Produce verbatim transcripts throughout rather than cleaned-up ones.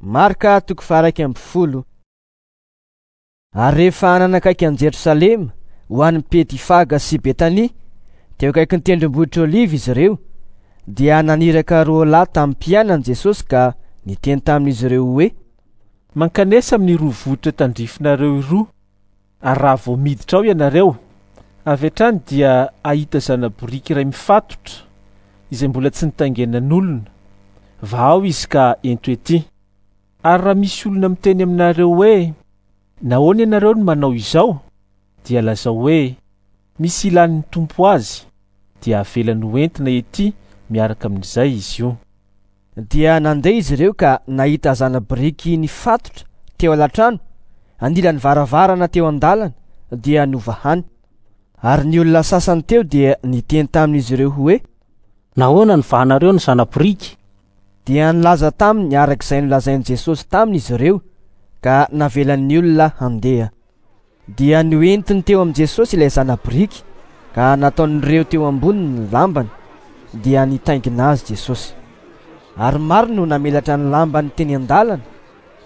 Marka toko faha-iraika amby folo. Ary rehefa nanakaiky an'i Jerosalema ho any Betifaga sy Betania, teo akaikin'ny tendrombohitra Oliva izy ireo, dia naniraka roa lahy tamin'ny mpianany Jesosy ka niteny tamin'izy ireo hoe: Mankanesa amin'ny roa vohitra tandrifinareo roa, ary raha vao miditra ao ianareo, avy hatrany dia hahita zana-boriky iray mifatotra, izay mbola tsy nitaingenan'olona. Vahao izy ka ento ety. Ary raha misy olona miteny aminareo hoe: nahoana ianareo no manao izao? Dia lazao hoe: misy ilan'ny Tompo azy, dia avelany hoentina ety miaraka amin'izay izy io. Dia nandeha izy ireo ka nahita zana-boriky nifatotra teo alatrano, anilan'ny varavarana teo an-dalana, dia novahany. Ary ny olona sasany teo dia niteny tamin'izy ireo hoe: Nahoana no vahanareo ny zana-boriky? Dia nilaza taminy araka izay nolazain'i Jesosy taminy izy ireo, ka navelan'ny olona handeha. Dia noentiny teo amin'i Jesosy ilay zana-boriky, ka nataon'ireo teo amboniny ny lambany, dia nitaingina azy Jesosy. Ary maro no namelatra ny lambany teny an-dalana,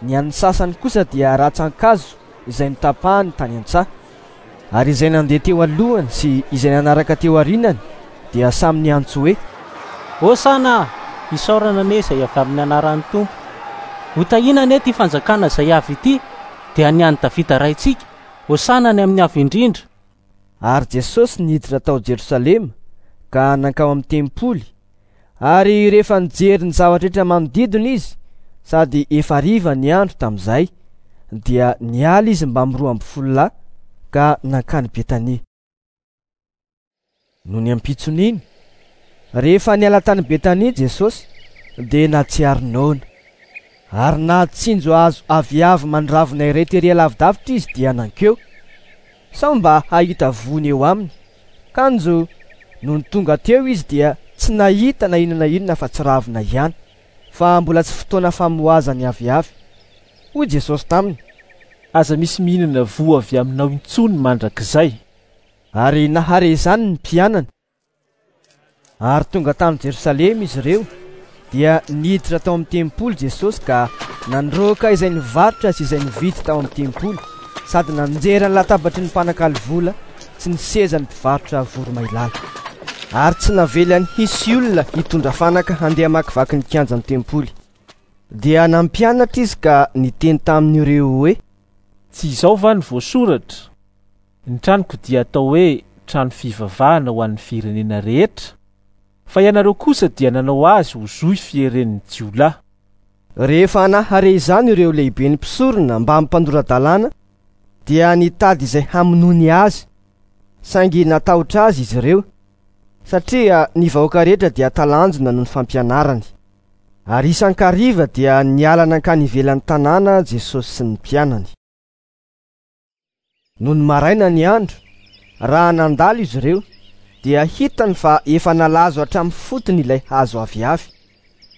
ny an'ny sasany kosa dia rantsan-kazo izay notapahany tany an-tsaha. Ary izay nandeha teo alohany sy izay nanaraka teo aorianany dia samy niantso hoe: Hosana! Isaorana anie izay avy amin'ny anaran'ny Tompo. Hotahiana anie ity fanjakana izay avy ity, dia ny an'i Davida raintsika. Hosana ny amin'ny avo indrindra. Ary Jesosy niditra tao Jerosalema ka nankao amin'ny tempoly. Ary rehefa nijery ny zavatra rehetra manodidina izy, sady efa hariva ny andro tamin'izay, dia niala izy mbamin'ny roa amby folo lahy ka nankany Betania. Nony ampitson'iny, rehefa niala tany Betania Jesosy, dia nahatsiaro noana. Ary nahatsinjo hazo aviavy mandravina iray tery lavidavitra izy dia nankeo, sao mba hahita voany eo aminy. Kanjo nony tonga teo izy dia tsy nahita na inona na inona fa tsy ravina ihany, fa mbola tsy fotoana famoazany aviavy. Hoy Jesosy taminy: Aza misy mihinana voa avy aminao intsony mandrakizay. Ary nahare izany ny mpianany. Ary tonga tany Jerosalema izy ireo, dia niditra tao amin'ny tempoly Jesosy ka nandroaka izay nivarotra sy izay nividy tao amin'ny tempoly, sady nanjera ny latabatry ny mpanakalo vola sy ny sezan'ny mpivarotra voromailala. Ary tsy navelany hisy olona hitondra fanaka handeha hamakivaky ny kianjan'ny tempoly. Dia nampianatra izy ka niteny tamin'ireo hoe: Tsy izao va ny voasoratra? Ny tranoko dia atao hoe trano fivavahana ho an'ny firenena rehetra, fa ianareo kosa dia nanao azy ho zohy fieren'ny jiolahy. Rehefa nahare izany ireo lehiben'ny mpisorona mba mpandora-dalàna, dia nitady izay hamonoany azy, saingy natahotra azy izy ireo, satria ny vahoaka rehetra dia talanjona noho ny fampianarany. Ary isan-kariva dia niala nankany ivelan'ny tanàna Jesosy sy ny mpianany. Nony maraina ny andro, raha nandalo izy ireo, dia hitany fa efa nalazo hatramin'ny fotony ilay hazo aviavy.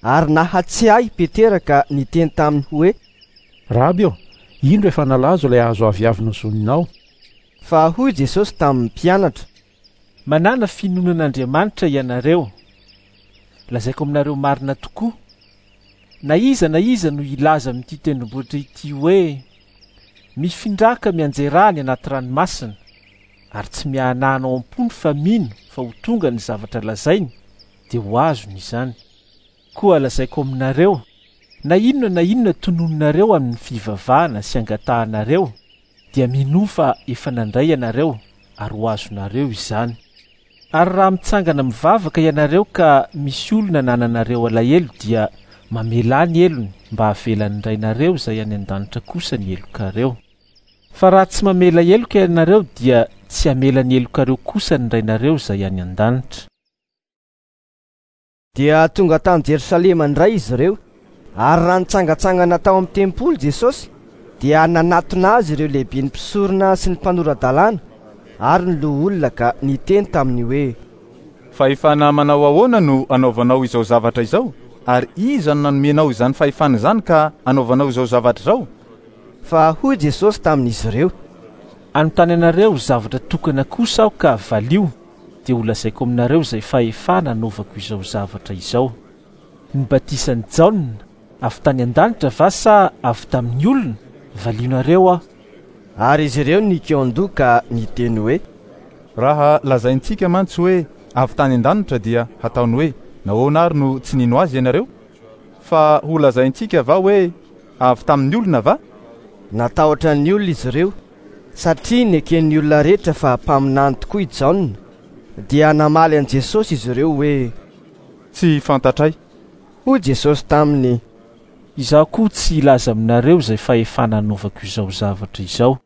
Ary nahatsiahy Petera ka niteny taminy hoe: Raby ô, indro efa nalazo ilay hazo aviavy nozoninao. Fa hoy Jesosy tamin'ny mpianatra: Manana finoana an'Andriamanitra ianareo. Lazaiko aminareo marina tokoa, na iza na iza no hilaza amin'ity tendrombohitra ity hoe: mifindraka mianjera any anaty ranomasina, ary tsy miahanahana ao am-pony fa mino fa ho tonga ny zavatra lazainy, dia ho azony izany. Koa lazaiko aminareo, na inona na inona tononinareo amin'ny fivavahana sy angatahanareo, dia minoa fa efa nandray ianareo ary ho azonareo izany. Ary raha mitsangana mivavaka ianareo ka misy olona nananareo alahelo, dia mamelà ny helony mba havelan'ny Rainareo izay any an-danitra kosa ny helokareo. Fa raha tsy mamela heloka ianareo, dia tsy hamela ny helokareo kosa ny Rainareo izay any an-danitra. Dia tonga tany Jerosalema indray izy ireo, ary raha nitsangantsangana tao amin'ny tempoly Jesosy, dia nanatona azy ireo lehiben'ny mpisorona sy ny mpanora-dalàna ary ny loholona ka niteny taminy hoe: Fahefana manao ahoana no anaovanao izao zavatra izao? Ary iza no nanomenao izany fahefana izany ka anaovanao izao zavatra izao? Fa hoy Jesosy tamin'izy ireo: Anontany anareo zavatra tokana kosa aho ka valio, dia ho lazaiko aminareo izay fahefana anaovako izao zavatra izao. Ny batisan'i Jaona, Avy tany an-danitra va sa avy tamin'ny olona? Valionareo aho. Ary izy ireo nikaon-doha ka niteny hoe: Raha lazaintsika mantsy hoe avy tany an-danitra dia hataony hoe nahoana ary no tsy nino azy ianareo? Fa ho lazaintsika va hoe avy tamin'ny olona va? Natahotra ny olona izy ireo satria neken'ny olona rehetra fa mpaminany tokoa i Jaona. Dia namaly an'i Jesosy izy ireo hoe: Tsy fantatray. Hoy Jesosy taminy: Izaho koa tsy hilaza aminareo izay fahefana anaovako izao zavatra izao.